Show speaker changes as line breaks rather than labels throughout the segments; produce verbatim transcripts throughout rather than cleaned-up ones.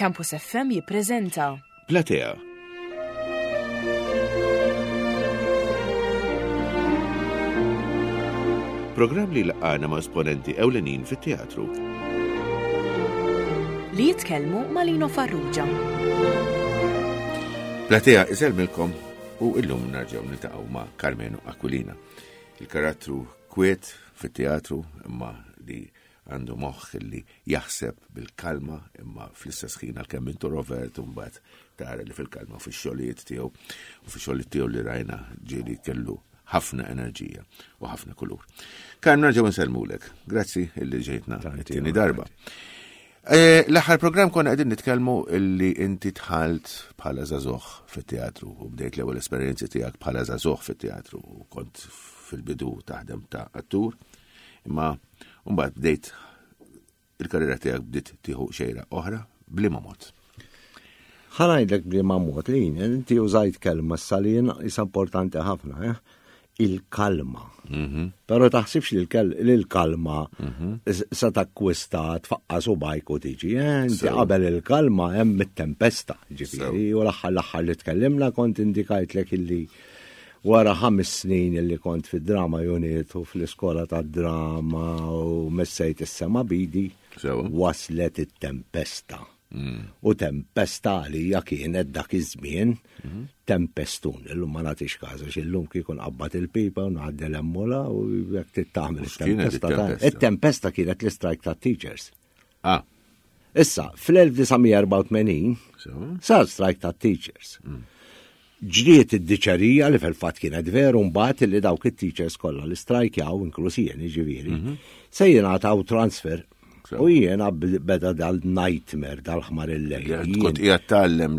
Campus F M jippreżenta
Platea. Programm li laqana ma' esponenti ewlenin fit-teatru.
Li jitkellmu ma' Lino Farrugia.
Platea isellmilkom u illum narġgħu niltaqgħu ma' Karmenu Aquilina. Il-karattru kwiet fit-teatru, imma li għandu moħħ li jaħseb bil-kalma, imma fl-istess ħin għalkemm introvert, u mbagħad tara li fil-kalma fix-xogħlijiet tiegħu u fix-xogħlijiet tiegħu li rajna ġieli kellu ħafna enerġija u ħafna kulur. Karm, nerġgħu nsellmulek. Grazzi illi ġejtna t-tieni darba. Eh, l-aħħar programm konna qegħdin nitkellmu illi inti dħalt bħala żagħżugħ fit-teatru u bdejt l-ewwel esperjenzi tiegħek bħala żagħżugħ fit-teatru u kont fil-bidu taħdem ta' attur, imma mbagħad bdejt il-karriera tiegħek bdiet tieħu xejra oħra. B'liema mod?
Ħa ngħidlek b'liema mod li inti użajt kelma s-salin isa importanti ħafna, eh? Il-kalma.
Mhm.
Pero taħsibx li l-kalma
Mhm.
sa takkwista tfaqqas u bajk u tiġi. Eh, inti
Sew.
qabel il-kalma hemm it-tempesta, ġifieri, u l-aħħar l-aħħar li tkellimna kont indikajtlek illi wara ħames snin illi kont fid-drama unit u fl-iskola tad-drama u messejt is-sema bidi,
Sew.
waslet it-tempesta.
Mm.
U tempesta għalija kienet dak iż-żmien tempestun. Illum ma nagħtix każu, illum kieku nqabbad il-pipa u ngħaddi l-emmola u jekk tittamel
U x'kienet
it-tempesta. ta'
it-tempesta?
It-tempesta kienet l-istrajk ta' teachers.
Ah.
Issa, fl-elf disa' mija erbgħa u tmenin
Sew.
sar strajk ta' teachers. Ġriet id-diċerija li fil-fatt kienet veru mbagħad li dawk it-teachers kollha li strajkjaw, inkluż jien ġifieri, se jingħataw transfer.
Sew.
U jiena b- beda dal-nightmare dal-ħmar il-lejl.
Kont qiegħed tgħallem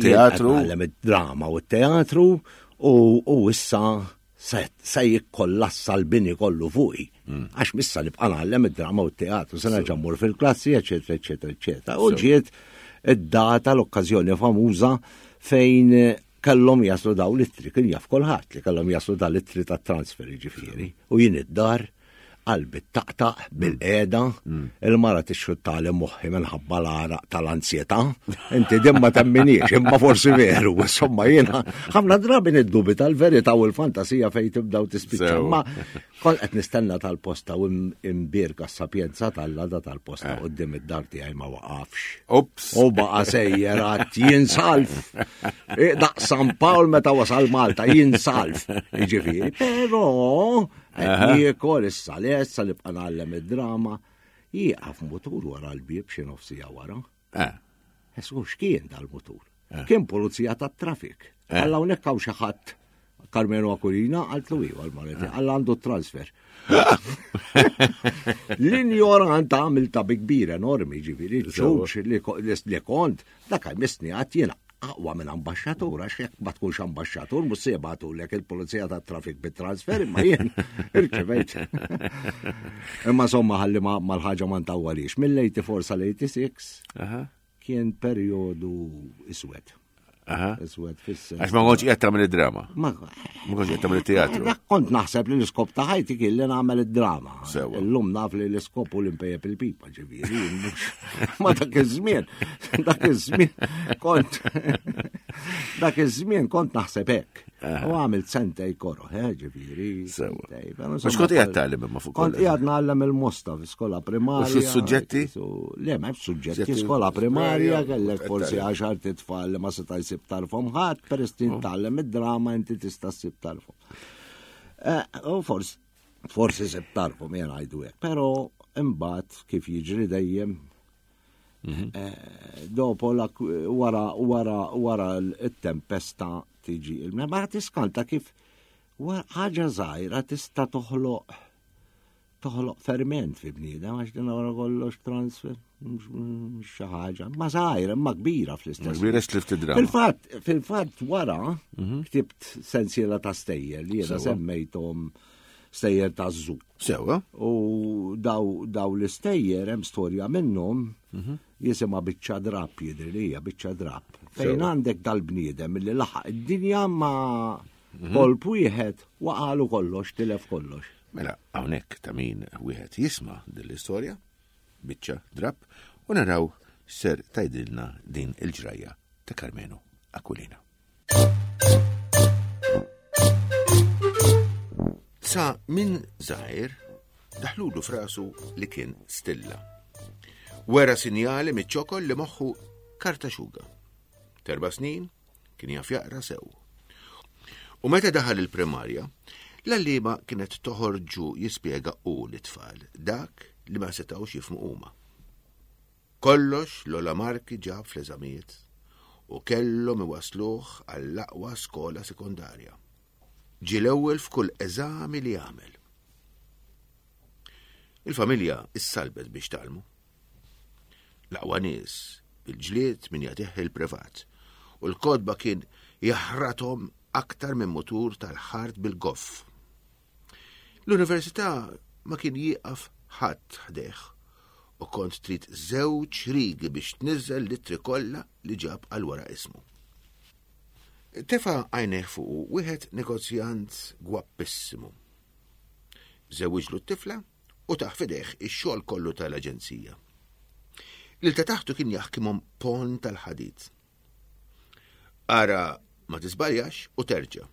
teatru.
Tgħallem id-drama u t-teatru u u issa se se jikkollassa l-bini kollu fuqi. Għax missa nibqa' ngħallem id-drama u t-teatru, se nerġa' mmur fil-klassi, eċetera, eċetera, eċetera. U ġiet id-data, l-okkażjoni famuża fejn kellhom jaslu daw l-ittri, kien jaf kulħadd li kellhom jaslu daw l-ittri ta' transfer, ġifieri. U jien id-dar qalbi taqtaq bil-qeda, il-mara tixxuttali moħħi minħabba l-għaraq tal-ansjetà. Inti din ma temminix, imma forsi veru, insomma jiena ħafna drabi niddubita l-verità u l-fantasija fejn tibda u tispiċċa.
Sew.
Ma kont qed nistenna tal-posta u im- imbierka s-sapjenza tal-lada tal-posta quddiem id-dar tiegħi ma waqafx.
Ups.
U baqa sejjer għat jinsalf. E, Daq San Pawl meta wasal Malta, jinsalf. Ġifieri, pero qed niekol issa lessa li bqa' ngħallem id-drama, jieqaf mutur wara l-bieb xi nofsija wara.
Eh.
Esu x'kien dal-mutur? Kien pulizija tat-trafik. Alla hawnhekk hawn xi ħadd Karmenu Aquilina, qaltlu iva l-mareti, alla għandu transfer. L-injorant għamilta bi kbir enormi, ġifieri, ċuċ li ko- li kont, dak jmissni għat jiena aqwa minn ambasċatur, għax jekk ma tkunx ambasċatur, mhux se jibagħtulek il-pulizija tat-trafik bit-transfer, imma jien irċevejt. Imma somma ħalli ma mal-ħaġa ma ntawwalix. Mill-eighty-four sal-eighty-six
Aha.
kien perjodu iswed.
Aha.
Iswed fis-sens.
Għax ma kontx qiegħed tagħmel id-drama.
Ma
Ma kontx qiegħed tagħmel it-teatru.
Dak kont naħseb li l-iskop ta' ħajti kien li nagħmel id-drama.
Sewa.
Illum naf li l-iskop u l-impejjeb il-pipa, ġifieri, mhux. Ma dak iż-żmien, dak iż-żmien kont dak iż-żmien kont naħseb hekk. U għamilt sentej koro, eh, ġifieri.
Sewa.
sentej, però
Mhux
insomma,
kont qiegħed tgħallem imma fuq
Kont
kollox.
qiegħed ngħallem il-Mosta fi skola primarja.
U xi suġġetti?
Su- Le, ma suġġetti,
Suġġetti
skola primarja,
primarja,
kellek forsi
tgħallem.
għaxar titfal li ma seta' jsib tarfhom ħadd, peress
Oh.
titgħallem id-drama inti tista' ssib tarfhom. Eh, U forsi forsi sib tarfhom jien ngħidu hekk, però imbagħad kif jiġri dejjem
Mhm.
eh, dopo la wara wara wara l-tempesta tiġi il ma tiskanta kif wa- ħaġa żgħira tista' toħloq toħloq ferment fi bniedem, għax din wara kollox transfer, mhux mhux xi ħaġa, ma żgħira, imma kbira fl-istess.
Kbira x'tlift id-drama.
Fil-fatt, fil-fatt wara ktibt sensiela ta' stejjer li jiena
Sewa.
semmejthom stejjer ta' żu.
Sewa.
U daw, daw l-istejjer hemm storja minnhom jisimha Biċċa Drapp, jidri li hija Biċċa Drapp. Fejn
Sewa.
għandek dal-bniedem li laħaq id-dinja ma kolp wieħed waqalu kollox, tilef kollox.
Mela, hawnhekk ta' min wieħed jisma' din l-istorja, Biċċa Drapp, u naraw Ser tgħidilna din il-ġrajja ta' Karmenu Aquilina. Sa minn żgħir daħlulu frasu li kien stilla. Wera sinjali miċ-ċokol li moħħu karta xuga. Terba snin kien jaf jaqra sew. U meta daħal il-primarja, l-għalliema kienet toħorġu jispjega u l-tfal dak li ma setgħux jifhmu huma. Kollox l-ola marki ġab fl-eżamijiet u kellhom iwasluh għall-aqwa skola sekondarja. Ġie l-ewwel f'kull eżami li għamel. Il-familja issalbet biex talmu. L-aqwa nies bil-ġlied min jagħtih il-privat u l-kodba kien jaħrathom aktar minn mutur tal-ħart bil-goff. L-università ma kien jieqaf ħadd ħdejh u kont trid żewġ rigi biex tniżżel litri kollha li ġab għal wara ismu. Tefa għajnejh fuqu wieħed negozjant gwappissimu. Żewwiġlu t-tifla u taħ fidejh ix-xogħol kollu tal-aġenzija. Lil ta' taħtu kien jaħkimhom pon tal-ħadid. Ara ma tiżbaljax u terġa',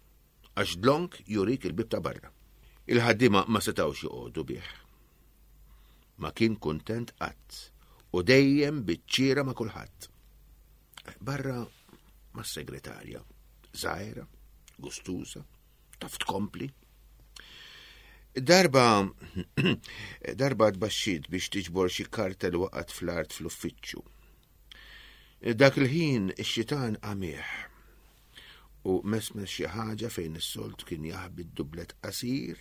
għax dlonk jurik il-bib ta' barra. Il-ħaddiema ma setgħux joqogħdu bih. Ma kien kuntent qatt u dejjem biċ-ċiera ma' kulħadd. Barra mas-segretarja, żgħira, gustuża, taf tkompli. Darba darba tbaxxiet biex tiġbor xi karta li waqgħet fl-art fl-uffiċċju. Dak il-ħin ix-xitan qamieħ u mesmes xi ħaġa fejn is-solt kien jaħbi d-dublet qasir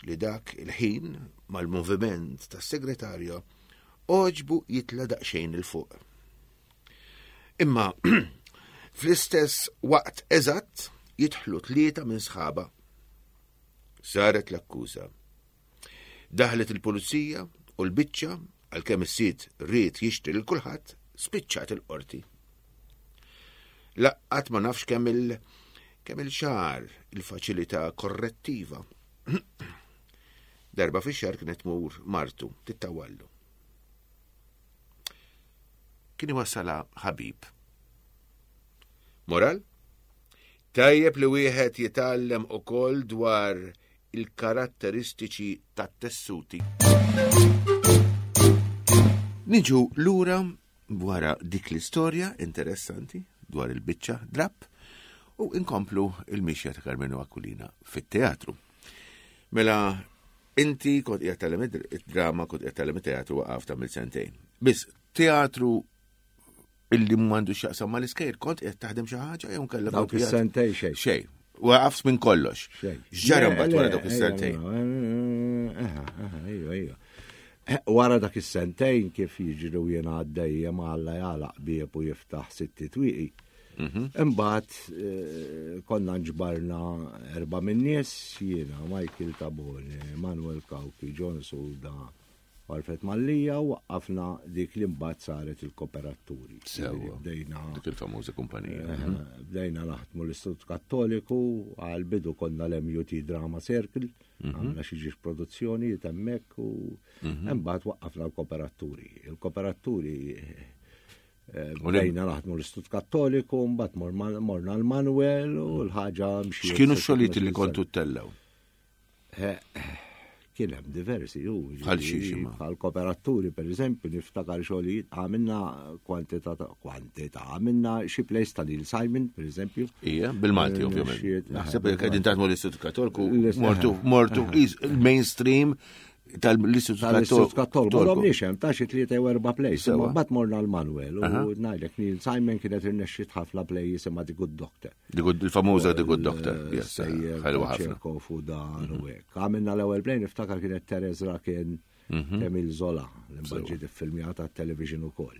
li dak il-ħin mal-moviment tas-segretarja oġbu jitla daqsxejn il fuq. Imma fl-istess waqt eżatt jidħlu tlieta minn sħaba. Saret l-akkuża. Daħlet il-pulizija u l-biċċa għalkemm is-sid ried jixtri lil kulħadd spiċċat il-qorti. Laqqat ma nafx kemm il kemm il-xahar il-faċilità korrettiva. Darba fix-xahar kienet tmur martu tittawallu. Kien iwassala ħabib. Moral? Tajjeb li wieħed jitgħallem ukoll dwar il-karatteristiċi tat-tessuti. Niġu lura wara dik l-istorja interessanti dwar il-biċċa drapp u inkomplu il-mixja ta' Karmenu Aquilina fit-teatru. Mela, inti kont qiegħed tgħallem id-drama, kont qiegħed tgħallem it-teatru waqaf ta' sentejn. Biss teatru illi m'għandu x'jaqsam mal-iskejjel, kont qiegħed taħdem xi ħaġa jew kellek
Dawk
kont qiegħed-
is-sentejn xejn.
Xejn. Waqaft minn kollox.
Xejn.
X'ġara mbagħad wara
Le,
dawk is-sentejn?
Eħa, eħa, ejja, ejja. Eh, Wara dak is-sentejn kif jiġru jiena għaddejja ma Alla jagħlaq bieb u jiftaħ sitti twieqi. Imbagħad eh, konna nġbarna erba' min-nies jiena Michael Tabone, Manuel Cauchi, John Suda, Alfred Mallia u waqqafna dik li mbagħad saret il-kooperaturi.
Sewwa.
Bdejna
Dik il-famuża kumpanija.
Eh, Bdejna naħdmu l-Istitut Kattoliku, għal-bidu konna l-M U T Drama Circle, għamna xi ġiex produzzjoni hemmhekk u mbagħad waqqafna l-kooperaturi. Il-kooperaturi eh, bdejna naħdmu l-Istitut Kattoliku, mbagħad morma- morna l-Manuel u l-ħaġa mxiet.
X'kienu x-xogħlijiet li kontu ttellgħu?
Eh, Kien hemm diversi, ju.
Bħal xiex imma?
Bħal kooperaturi, per eżempju, niftakar xogħlijiet, għamilna kwantità, ta'- kwantità, għamilna xi plays ta' Neil Simon, per eżempju.
Ija, bil-Malti,
Eh,
ovvjament.
xiet-
Naħseb li qegħdin taħdmu l-Istitut Kattoliku,
L-Ist-
mortu, mortu, is- il-mainstream tal-Istitut
Tal-Istitut Kattoliku. Ma
Kattoliku.
domniex hemm ta' xi tlieta jew erba' plays.
Sewa.
Imma mbagħad morna l-Manuel u ngħidlek Neil Simon kienet irnexxiet ħafna plays imma The Good Doctor.
The Good- Il-famuża The Good Doctor. Yes,
Sejjer
ħelwa ħafna.
Chekhov u dan u hekk. Għamilna l-ewwel play niftakar kienet Terez Rakin Emil Zola, li mbagħad ġiet iffilmjata television ukoll.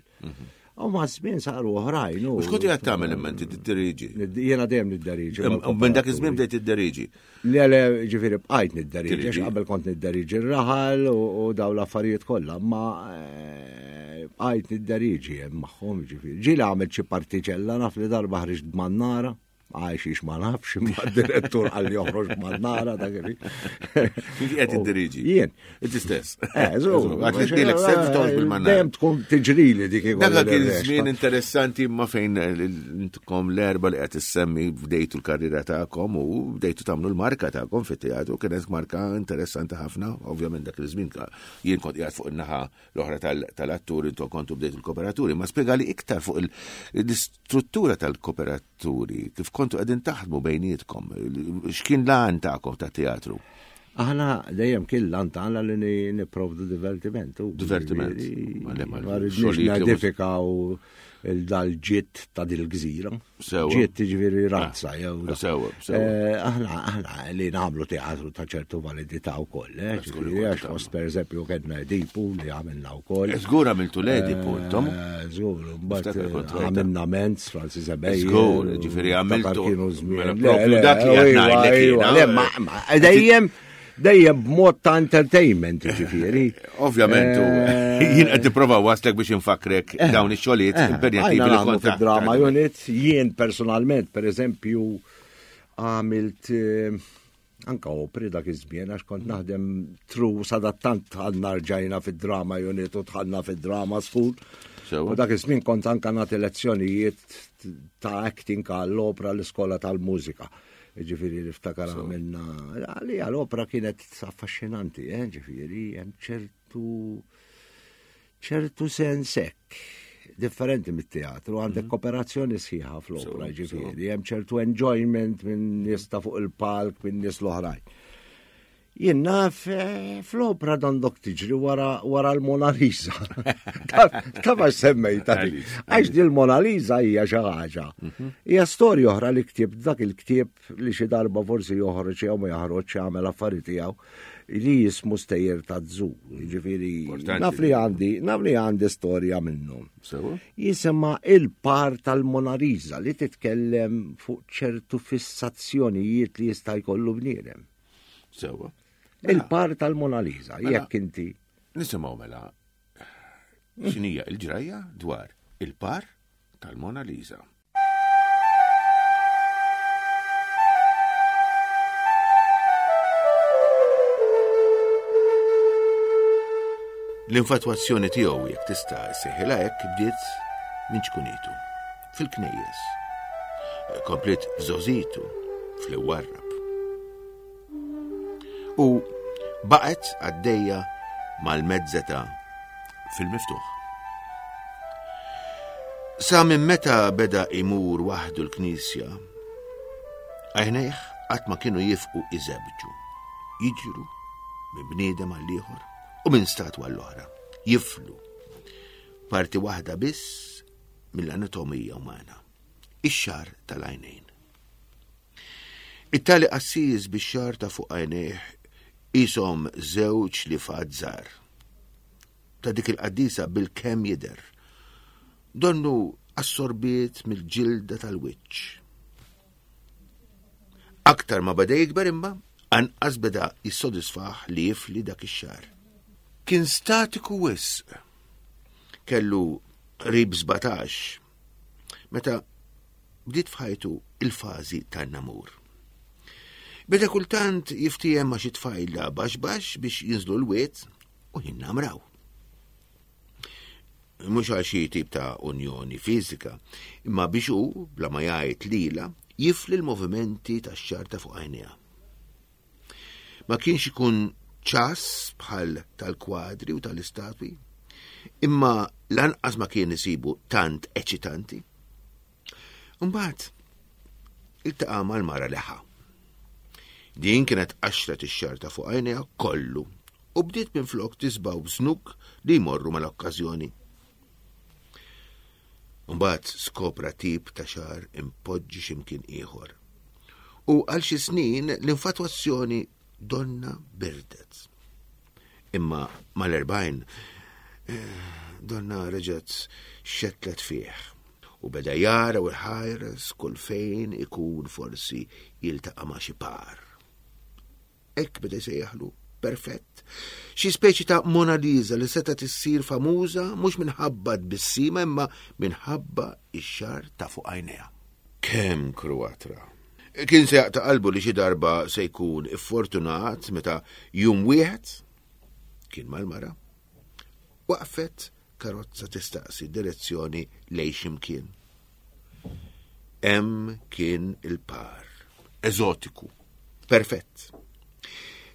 U ma' żmien saru oħrajn. u-
U x'kont qiegħed tagħmel imma inti tiddiriġi?
Jiena dejjem nidderiġi.
U minn dak iż-żmien bdejt tidderiġi.
Le, le, ġifieri bqajt nidderiġi, għax
Diriġi.
qabel kont nidderiġi r-raħal u u daw l-affarijiet kollha, ma eh, bqajt nidderiġi hemm magħhom ġifieri. Ġieli għamilt xi partiċella naf li darba ħriġt b'mannara. Għax ma nafx, imma d-direttur qalli joħroġ mannara dak li.
Inti qed tiddiriġi.
Jien.
Inti stess.
Eh, żgur.
Għax li tdilek stess toħroġ bil-mannara.
Dejjem tkun tiġrili dik
Dak kien żmien interessanti imma fejn intkom l-erba li qed issemmi bdejtu l-karriera tagħkom u bdejtu tagħmlu l-marka tagħkom fit-teatru, kienet marka interessanti ħafna, ovvjament dak iż-żmien jien kont qiegħed fuq in-naħa l-oħra tal-attur, intom kontu bdejtu l-kooperaturi, ma spjegali iktar fuq l-istruttura tal-kooperaturi, kif kontu qegħdin taħdmu bejnietkom, x'kien l-għan tagħkom ta' teatru?
Aħna dejjem kien l-għan tagħna li nipprovdu divertiment.
Divertiment.
Ma rridniex nedifikaw il-dal-ġitt ta' dil-gżira. Ġitt ġifieri razza jew.
Sewa, sewa.
Aħna aħna li nagħmlu teatru ta' ċertu validità wkoll, eh, ġifieri għax fost pereżempju kellna Edipu li għamilna wkoll.
Żgur għamiltu l-Edipu intom.
Żgur, mbagħad għamilna Menz, Francis Ebejer.
Żgur, ġifieri għamiltu.
Kienu żmien.
Dak li qed ngħidlek
jiena. Dejjem dejjem b'mod ta' entertainment, ġifieri.
Ovvjament, jien qed nipprova waslek biex infakrek dawn ix-xogħlijiet impenjattivi li kont
drama unit, jien personalment, per eżempju, għamilt anka opri dak iż-żmien għax kont naħdem tru sadattant għandna rġajna fid-drama unit u dħalna fid-drama school. U dak iż-żmien kont anka nagħti lezzjonijiet ta' acting għall-opra l-iskola tal-mużika. Ġifieri niftakar għamilna, għalija l-opra kienet affaxxinanti, eh, ġifieri hemm ċertu ċertu sens hekk differenti mit-teatru, għandek kooperazzjoni sħiħa fl-opra, ġifieri, hemm ċertu enjoyment minn nies ta' fuq il-palk, minn nies l-oħrajn. Jien naf fl-opra dondok tiġri wara wara l-Mona Lisa. Ta' ma semmejta. Għax di l-Mona Lisa hija xi ħaġa. Hija storja oħra li ktieb dak il-ktieb li xi darba forsi joħroġ jew ma joħroġ jagħmel affarijiet tiegħu li jismu Stejjer ta' Zoo. Jiġifieri naf li għandi, naf li għandi storja minnhom. Jisimha il-par tal-Mona Lisa li titkellem fuq ċertu fissazzjonijiet li jista' jkollu bniedem.
Sewa.
Il-par tal-Mona Lisa, jekk inti.
Nisimgħu mela x'inhija l-ġrajja dwar il-par tal-Mona Lisa. L-infatwazzjoni tiegħu jekk tista' ssejħilha hekk bdiet minn ċkunitu, fil-knejjes. Komplet f'żożitu, fl-warrab. U baqgħet għaddejja mal-mezzeta fil-miftuħ. Sa minn meta beda imur waħdu l-knisja, għajnejh qatt ma kienu jifqu iżebġu, jiġru minn bniedem għall-ieħor u minn statwa għall-oħra, jiflu parti waħda biss mill-anatomija umana, ix-xagħar tal-għajnejn. It-tali qassis bix-xagħar ta' fuq għajnejh isom żewġ li fad żgħar. Ta' dik il-qaddisa bil-kemm jidher. Donnu assorbiet mill-ġilda tal-wiċċ. Aktar ma beda jikber imma, anqas beda jissodisfaħ li jifli dak ix-xagħar. Kien statiku wisq. Kellu qrib sbatax meta bdiet f'ħajtu il-fażi tan-namur. Beda kultant jiftiehem ma' xi tfajla baxx baxx biex jinżlu l-wied u jinnamraw. Mhux għal xi tip ta' unjoni fiżika, imma biex hu, bla ma jgħid lilha, jifli l-movimenti tax-xagħar ta' fuq għajnejha. Ma kienx ikun ċass bħal tal-kwadri u tal-istatwi, imma lanqas ma kien isibu tant eċitanti. Imbagħad iltaqa' mal-mara leħa. Din kienet qaxret ix-xagħar ta' fuq għajnejha kollu u bdiet minflok tisbaw b'żnuk li jmorru mal-okkażjoni. Mbagħad skopra tip ta' xagħar impoġġi x'imkien ieħor. U għal xi snin l-infatwazzjoni donna birdet. Imma mal-erbgħin donna reġgħet xetlet fih u beda jara u jħares kull fejn ikun forsi jiltaqa' ma' xi par. Hekk beda jsejjaħlu perfett. Xi speċi ta' Mona Lisa li setgħet issir famuża mhux minħabba tbissima imma minħabba x-xagħar ta' fuq għajnejha. Kemm kruatra. Kien se jaqta' qalbu li xi darba se jkun iffortunat meta jum wieħed kien mal-mara. Waqfet karozza tistaqsi direzzjoni lejn x'imkien. Hemm kien il-par. Eżotiku. Perfett.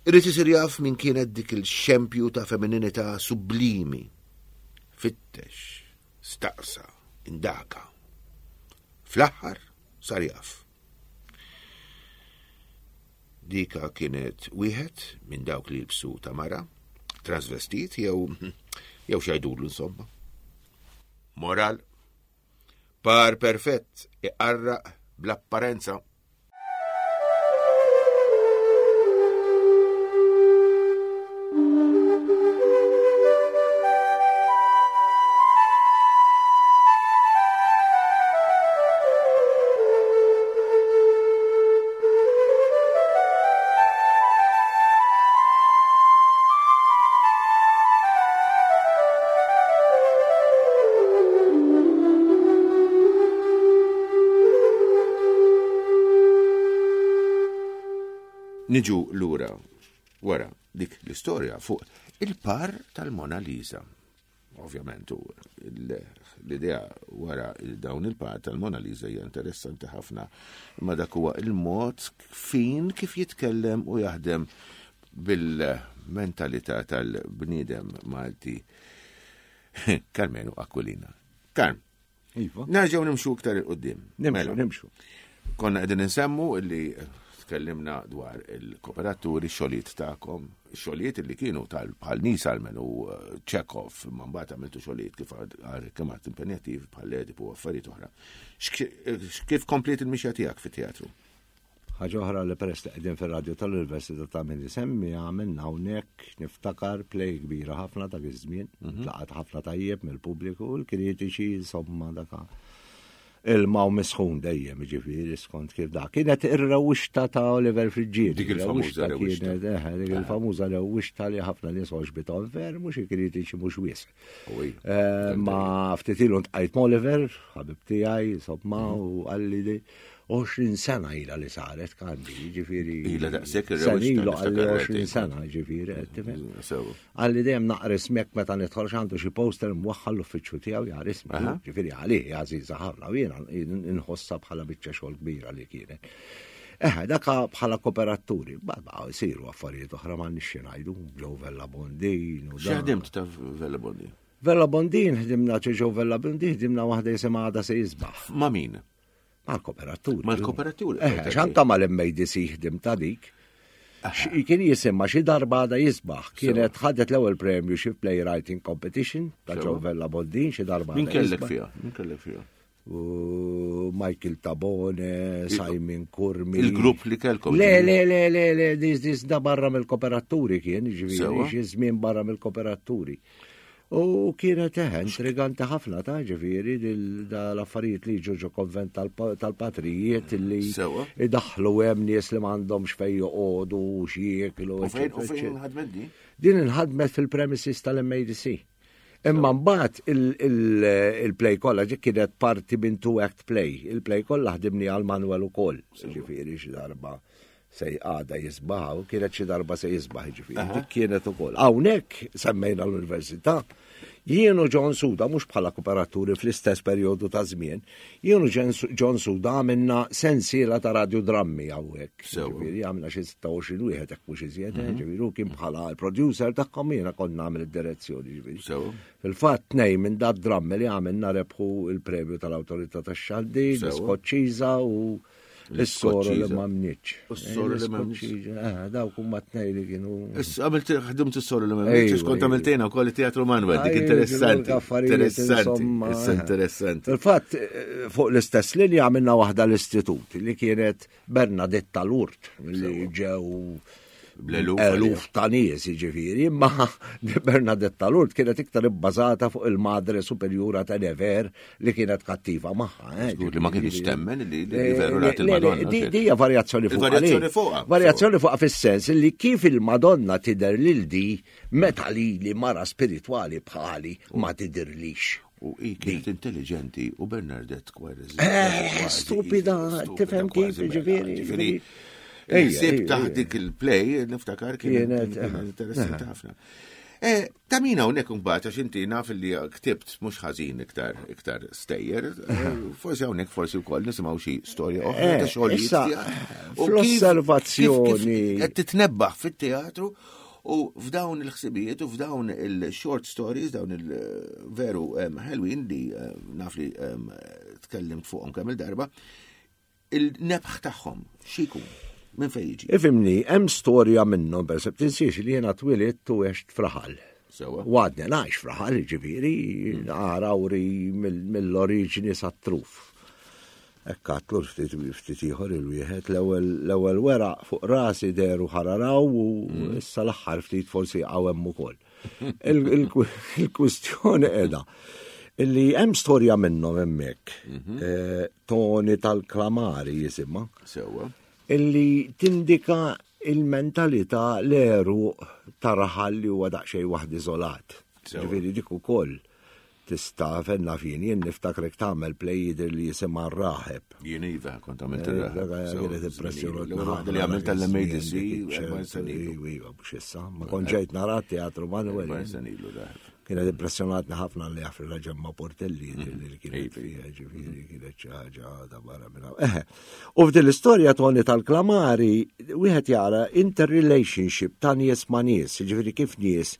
Irrid isir jaf min kienet dik il-xempju ta' femmininità sublimi. Fittex, staqsa, indaka. Fl-aħħar sar jaf. Dika kienet wieħed minn dawk li jilbsu ta' mara, transvestit jew jew xajdulu insomma. Moral, par perfett iqarraq bl-apparenza. Niġu lura wara dik l-istorja fuq il-par tal-Mona Lisa. Ovvjament, u l-idea wara dawn il-par tal-Mona Lisa hija interessanti ħafna, imma dak huwa il-mod fin kif jitkellem u jaħdem bil-mentalità tal-bniedem Malti Karmenu Aquilina. Karm,
Iva.
nerġgħu nimxu iktar il-qudiem.
Nimxu,
Mela.
nimxu.
Konna qegħdin insemmu illi tkellimna dwar il-kooperaturi, xogħlijiet tagħkom, xogħlijiet li kienu tal bħal Nisalmen u eh, Chekhov, imma mbagħad għamiltu xogħlijiet kif għad kemm għad impenjattiv bħal Edipu u affarijiet oħra. X'k- Kif kompliet il-mixja tiegħek fit-teatru?
Ħaġa oħra li peress li qegħdin fir-radju tal-Università ta' min isemmi għamilna hawnhekk niftakar play kbira ħafna dak iż-żmien, tlaqat ħafna tajjeb mill-pubbliku u l-kritiċi insomma daka ilma u misħun dejjem ġifieri skont kif da. Kienet ir-rewwixta ta' Oliver Friggieri.
Dik il-famuża rewwixta.
Kienet, eħe, dik il-famuża rewwixta li ħafna nies għoġbithom ver, mhux il-kritiċi mhux wisq.
Uwi.
Eh, Ma ftit ilu ntqajt ma' Oliver, ħabib tiegħi, insomma, u qalli li għoxrin sena ilha li saret kandi, ġifieri.
Ilha daqshekk
Sena
ir-rewwixta
ilu qalli
niftakar
għoxrin
rajt.
sena, ġifieri, qed tifhem.
Sewa.
Qalli dejjem naqra ismek meta nidħol x'għandu xi poster mwaħħal l-uffiċċju tiegħu jara ismi.
Aha.
Ġifieri għalih għażiża ħafna u jiena inħossha bħala biċċa xogħol kbira li kienet. Eħe, daka bħala kooperaturi, ba ba jsiru affarijiet oħra ma nixxi ngħidu, ġew Vella Bondin u
Xi
dan.
ħdimt ta' Vella Bondi?
Vella Bondin ħdimna ġew Vella Bondin ħdimna waħda jisimha għada se jisbaħ.
Ma' min?
Mal-kooperaturi.
Mal-kooperaturi.
Eh, xanka mal-M A D C ħdim ta' dik. Xi- Kien jisimha xi darba għada jisbaħ. Kienet ħadet l-ewwel premju xi playwriting competition ta'
Sewa.
ġew Vella Bondin xi darba
Min
għada
kellek
jisbaħ.
fiha? Min kellek fiha?
U Michael Tabone, Simon Curmi.
Il-grupp li kellkom.
Le, le, le, le, le, dis, dis, da barra mill-kooperaturi kien, ġifieri,
Sewa.
xi żmien barra mill-kooperaturi. U kienet eħe, intriganti ħafna ta' ġifieri, dil- da l-affarijiet li ġo ġo konvent tal-pa- tal-patrijiet li
Sewa.
idaħlu hemm nies li m'għandhomx fejn joqogħdu u x'jieklu.
U fejn u
eċċetera,
fejn
eċċetera.
ħadmet di?
Din inħadmet fil-premises tal-M A D C. Imma mbagħad il- il- il-play kollha ġi kienet parti minn two act play. Il-play kollha ħdimni għal Manuel ukoll. Ġifieri xi darba se għada jisbaħ u kienet xi darba se jisbaħ ġifieri. Dik kienet ukoll. Hawnhekk semmejna l-università. Jien u John Suda mhux bħala kooperaturi fl-istess perjodu ta' żmien, jien u John Suda għamilna sensiela ta' radiodrammi hawnhekk.
Sewa.
Ġifieri għamilna xi sitta u għoxrin wieħed hekk mhux iżjed, eh, ġifieri u kien bħala l-producer tagħhom jiena kont nagħmel id-direzzjoni ġifieri.
Sewa.
Fil-fatt tnejn minn dat drammi li għamilna rebħu il-premju tal-Awtorità tax-Xandir,
Sewa.
l-Iskoċċiża u l-Soru li
L-Iskoċċiża.
ma mniċ.
U s-soru li ma mniċ.
Eh, dawk huma tnejn li kienu.
Issa għamilt ħdimt is-soru li ma
Ejwa,
mniċ, kont
ejwa.
għamiltejna wkoll it-Teatru Manuel, dik
Ejwa,
interessanti.
ġifieri affarijiet,
Interessanti,
insomma,
issa
eh.
interessanti.
Fil-fatt, eh, fuq l-istess linja għamilna waħda l-istitut li kienet Bernadetta Lourdes li ġew
Bl-eluf
eluf ta' nies, jiġifieri, imma Bernadetta Lourdes kienet iktar ibbażata fuq il-Madre Superjura ta' Never li kienet kattiva magħha. eh,
Żgur li ma kienx
ġifieri.
temmen li li
Eh,
veru
le,
rat
le, le,
il-Madonna.
Di di hija varjazzjoni fuqha.
Il-varjazzjoni
li.
fuqha.
Varjazzjoni fuqha fis-sens li kif il-Madonna tidher lil di meta li li mara spiritwali bħali ma tidirlix.
U hi kienet intelligenti u Bernadette kważi.
Eh, stupida, tifhem kif, ġifieri.
Ġifieri. Sib taħt dik il-play, niftakar kienet interessanti ħafna. Eh, ta' min hawnhekk imbagħad għax inti naf li ktibt mhux ħażin iktar iktar stejjer, forsi hawnhekk forsi wkoll nisimgħu xi storja oħra ta' xogħlijiet tiegħek.
Fl-osservazzjoni.
Qed titnebbaħ fit-teatru u f'dawn il-ħsibijiet u f'dawn il-short stories, dawn il-veru ħelwin li naf li tkellimt fuqhom kemm il-darba, il-nebħ tagħhom xi jkun? Minn fejn jiġi?
Ifhimni, hemm storja minnhom, per esempio, tinsiex li jiena twilidt u għext f'raħal.
Sewa.
U għadni ngħix f'raħal, ġifieri, Għargħuri mill-oriġini sat-truf. Hekk għatlu ftit ftit ieħor il-wieħed l-ewwel weraq fuq rasi deru ħararaw u issa l-aħħar ftit forsi jaqgħu hemm ukoll. Il-kwistjoni qiegħda illi hemm storja minnhom hemmhekk. Toni tal-Klamari jisimha.
Sewa.
Illi tindika il-mentalità l-eru ta' raħal li huwa daqsxejn waħd iżolat. Ġifieri dik ukoll tista' fenna fin, jien niftakrek tagħmel play jidher li jisimha r-Raħeb.
Jien iva kont għamilt ir-Raħeb.
Kienet impressjonat.
L-ewwel waħda li għamilt tal-M A D C, erba' snin ilu.
Iva, mhux issa, ma kont ġejt nara teatru Manuel.
Erba' snin ilu Raħeb.
Kienet impressjonatni ħafna li jaf la Ġemma Portelli li kienet fiha, ġifieri kienet xi ħaġa ta' barra minn hawn. Eħe. U f'din l-istorja Toni tal-Klamari wieħed jara interrelationship ta' nies ma' nies, ġifieri kif nies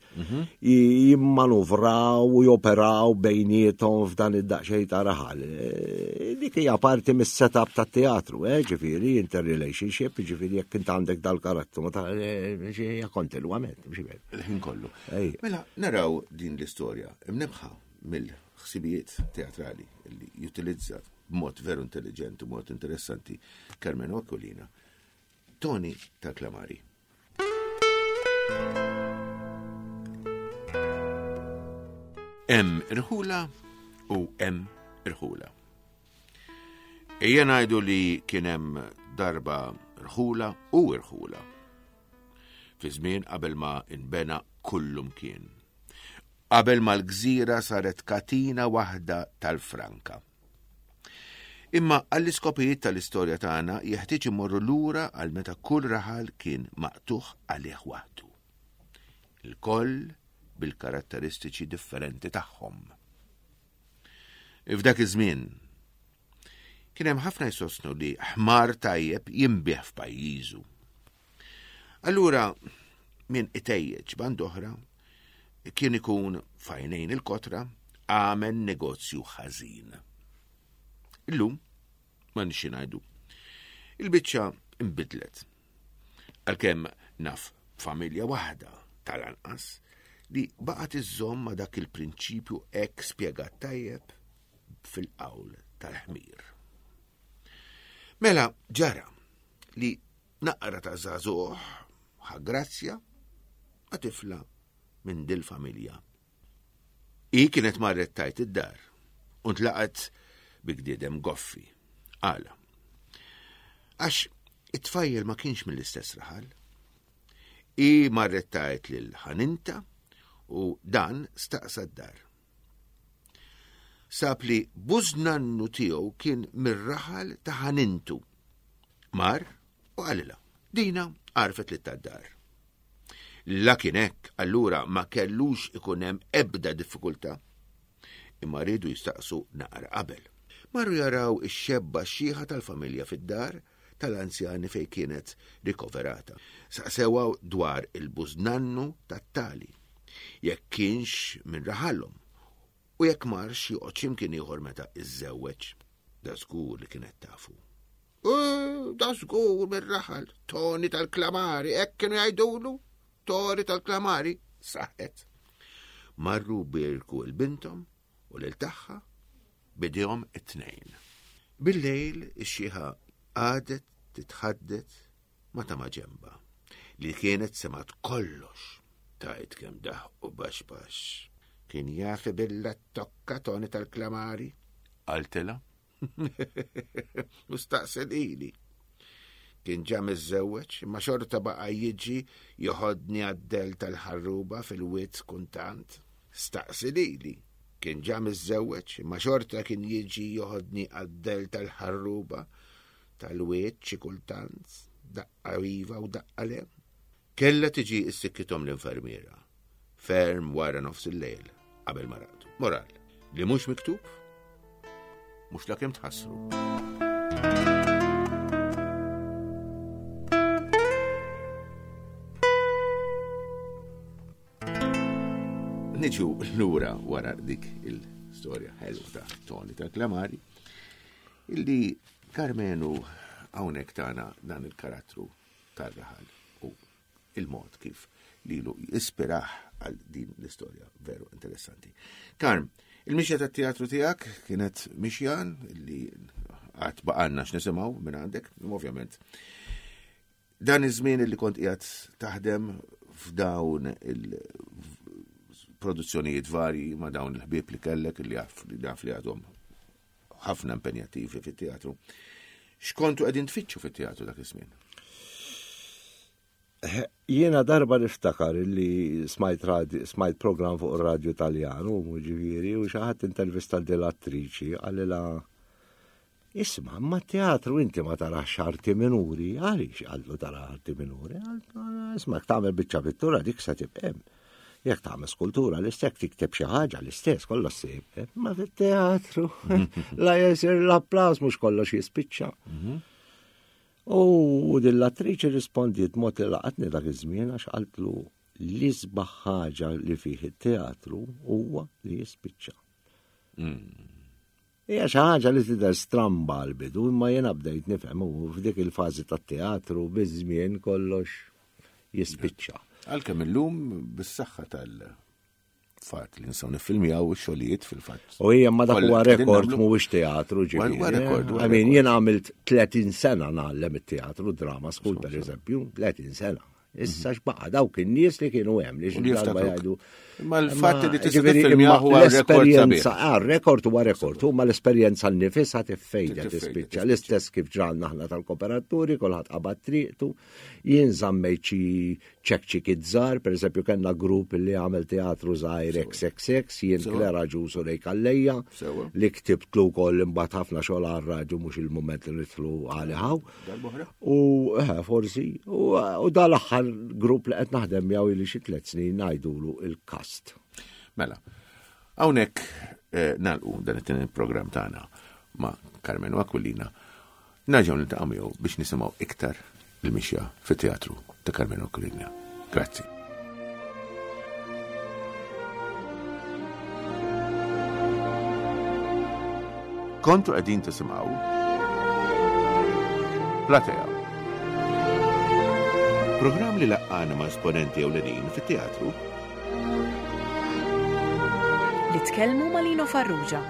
jimmanuvraw u joperaw bejniethom f'dan id-daqsxejn ta' raħal. Dik hija parti mis-setup tat-teatru, eh, ġifieri interrelationship, ġifieri jekk int għandek dal-karattru, ma ta' hija kontinwament, mhux veru.
Il-ħin kollu.
Ej.
Mela, naraw din l-istorja imnebħa mill-ħsibijiet teatrali li jutilizza b'mod veru intelligenti u mod interessanti Karmenu Aquilina, Toni tal-Klamari. Hemm irħula u hemm irħula. Ejja ngħidu li kien hemm darba rħula u irħula. Fi żmien qabel ma inbena kullum kien. Qabel ma l-gżira saret katina waħda tal-Franka. Imma għall-iskopijiet tal-istorja tagħna jeħtieġ imorru lura għal meta kull raħal kien maqtuħ għalih waħdu. Il-koll bil-karatteristiċi differenti tagħhom. F'dak iż-żmien kien hemm ħafna jsostnu li ħmar tajjeb jinbiegħ f'pajjiżu. Allura min itejjeġ band oħra kien ikun fajnejn il-kotra għamel negozju ħażin. Illum ma nixi ngħidu. Il-biċċa imbidlet. Għalkemm naf familja waħda tal-anqas li baqgħet iżżomm ma' dak il-prinċipju hekk spjegat tajjeb fil-qawl tal-ħmir. Mela ġara li naqra ta' żagħżugħ ħa grazzja ma' tifla minn dil-familja. I kienet marret tajt id-dar u ntlaqat bi gdiedem goffi. Għala. Għax it-tfajjel ma kienx mill-istess raħal. I marret tajt lil ħaninta u dan staqsa d-dar. Sab li bużnannu tiegħu kien mir-raħal ta' ħanintu. Mar u qalilha. Dina għarfet li tad-dar. La kien hekk, allura ma kellux ikun hemm ebda diffikultà. Imma riedu jistaqsu naqra qabel. Marru jaraw ix-xebba xieħa tal-familja fid-dar tal-anzjani fej kienet rikoverata. Saqsewa dwar il-bużnannu tat-tali, jekk kienx minn raħalhom u jekk marx joqgħod x'imkien ieħor meta iżżewweġ. Da żgur li kienet tafu. U da żgur mir-raħal, Toni tal-Klamari, hekk kienu jgħidulu, Toni tal-Klamari, saħet. Marru birku l-bintom u lil tagħha bidejhom it-tnejn. Bil-lejl ix-xieħa għadet titħaddet ma ta' maġemba li kienet semat kollox. Tajt kemm daħ u baxbax. Kien jafi billa tokka Toni tal-Klamari? Qaltilha. U staqsel ili. Kien ġa miżżewweġ, imma xorta baqa' jiġi joħodni għad-del tal-ħarruba fil-wied kuntant. Staqsi lili. Kien ġa miżżewweġ, imma xorta kien jiġi joħodni għad-del tal-ħarruba tal-wied xi kultant, daqqa iva u daqqa le. Kella tiġi s-sikkithom l-infermiera, ferm wara nofs il-lejl, qabel ma raqdu. Moral, li mhux miktub, mhux la kemm tħassru. Niġu lura wara dik il-storja ħelwa ta' Tony ta' Klamari, illi Karmenu hawnhekk tagħna dan il-karattru tar-raħal u il-mod kif lilu jispiraħ għal din l-istorja veru interessanti. Karm, il-mixja tat-teatru tiegħek kienet mixja li għad baqanna x'nisimgħu minn għandek, ovvjament. Dan iż-żmien li kont qiegħed taħdem f'dawn il-produzzjonijiet varji ma' dawn il-ħbieb li kellek li jaf li jaf li għadhom ħafna impenjattivi fit-teatru. X'kontu qegħdin tfittxu fit-teatru dak iż-żmien?
Jiena darba niftakar li smajt, radio, smajt program fuq ir-radju Taljan u ġifieri u xi ħadd intervista dell-attriċi qalilha Isma', ma teatru inti ma tarax arti minuri, għaliex għallu tara arti minuri? Isma' jekk tagħmel biċċa pittura dik se tibqem. Jekk tagħmel skultura l-istess tikteb xi ħaġa l-istess kollox se jibqem. Ma fit-teatru la jesir l-applaus mhux kollox jispiċċa. U din l-attriċi rispondiet mod li laqatni dak iż-żmien għax qaltlu l-isbaħ ħaġa li fih it-teatru huwa li jispiċċa. Hija xi ħaġa li tidher stramba għall-bidu, imma jiena bdejt nifhem u f'dik il-fażi tat-teatru biż-żmien kollox jispiċċa.
Għalkemm illum bis-saħħa tal-fatt li nistgħu niffilmjaw ix-xogħlijiet fil-fatt.
U hija ma dak
Kollha
huwa
qegħdin
rekord
nagħmlu.
mhuwiex teatru ġifieri.
Huwa rekord, huwa
I mean,
rekord.
jien għamilt tletin sena ngħallem it-teatru, drama school per eżempju, tletin sena. Issa x'baqa' dawk in-nies li kienu hemm li
U li
xi darba
jiftakruk.
jgħidu.
Imma l-fatt li tista'
ġifieri,
tiffilmjaw
imma
huwa rekord
l-esperjenza,
sabiħ.
ah, rekord huwa rekord, huma l-esperjenza nnifisha tiffejda
Tiffejda,
tispiċċa.
tispiċċa.
L-istess kif ġralna aħna tal-kooperaturi, kulħadd qabad triqtu, jien żammejt xi ċekċikiet żgħar, pereżempju kellna grupp li għamel teatru żgħir X X X, jien
Sewa.
Klera Ġus u Ray Calleja,
Sewa.
li ktibtlu wkoll imbagħad ħafna xogħol għar-radju mhux il-mument li nidħlu għalihaw.
Darb'oħra?
U eh, forsi, u, u dal-aħħar grupp li qed naħdem miegħu ili xi tliet snin ngħidulu il-kast.
Mela, hawnhekk eh, nagħlqu dan it-tieni programm tagħna ma' Karmenu Aquilina. Nerġgħu niltaqgħu miegħu biex nisimgħu iktar il-mixja fit-teatru ta' Karmenu Aquilina. Grazzi. Kontu qegħdin tisimgħu Platea. Programm li laqqana ma' esponenti ewlenin fit-teatru
Li tkellmu ma' Lino Farrugia.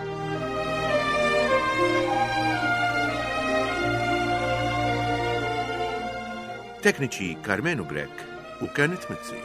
Tekniċi Karmenu Grech u Kenneth Mizzi.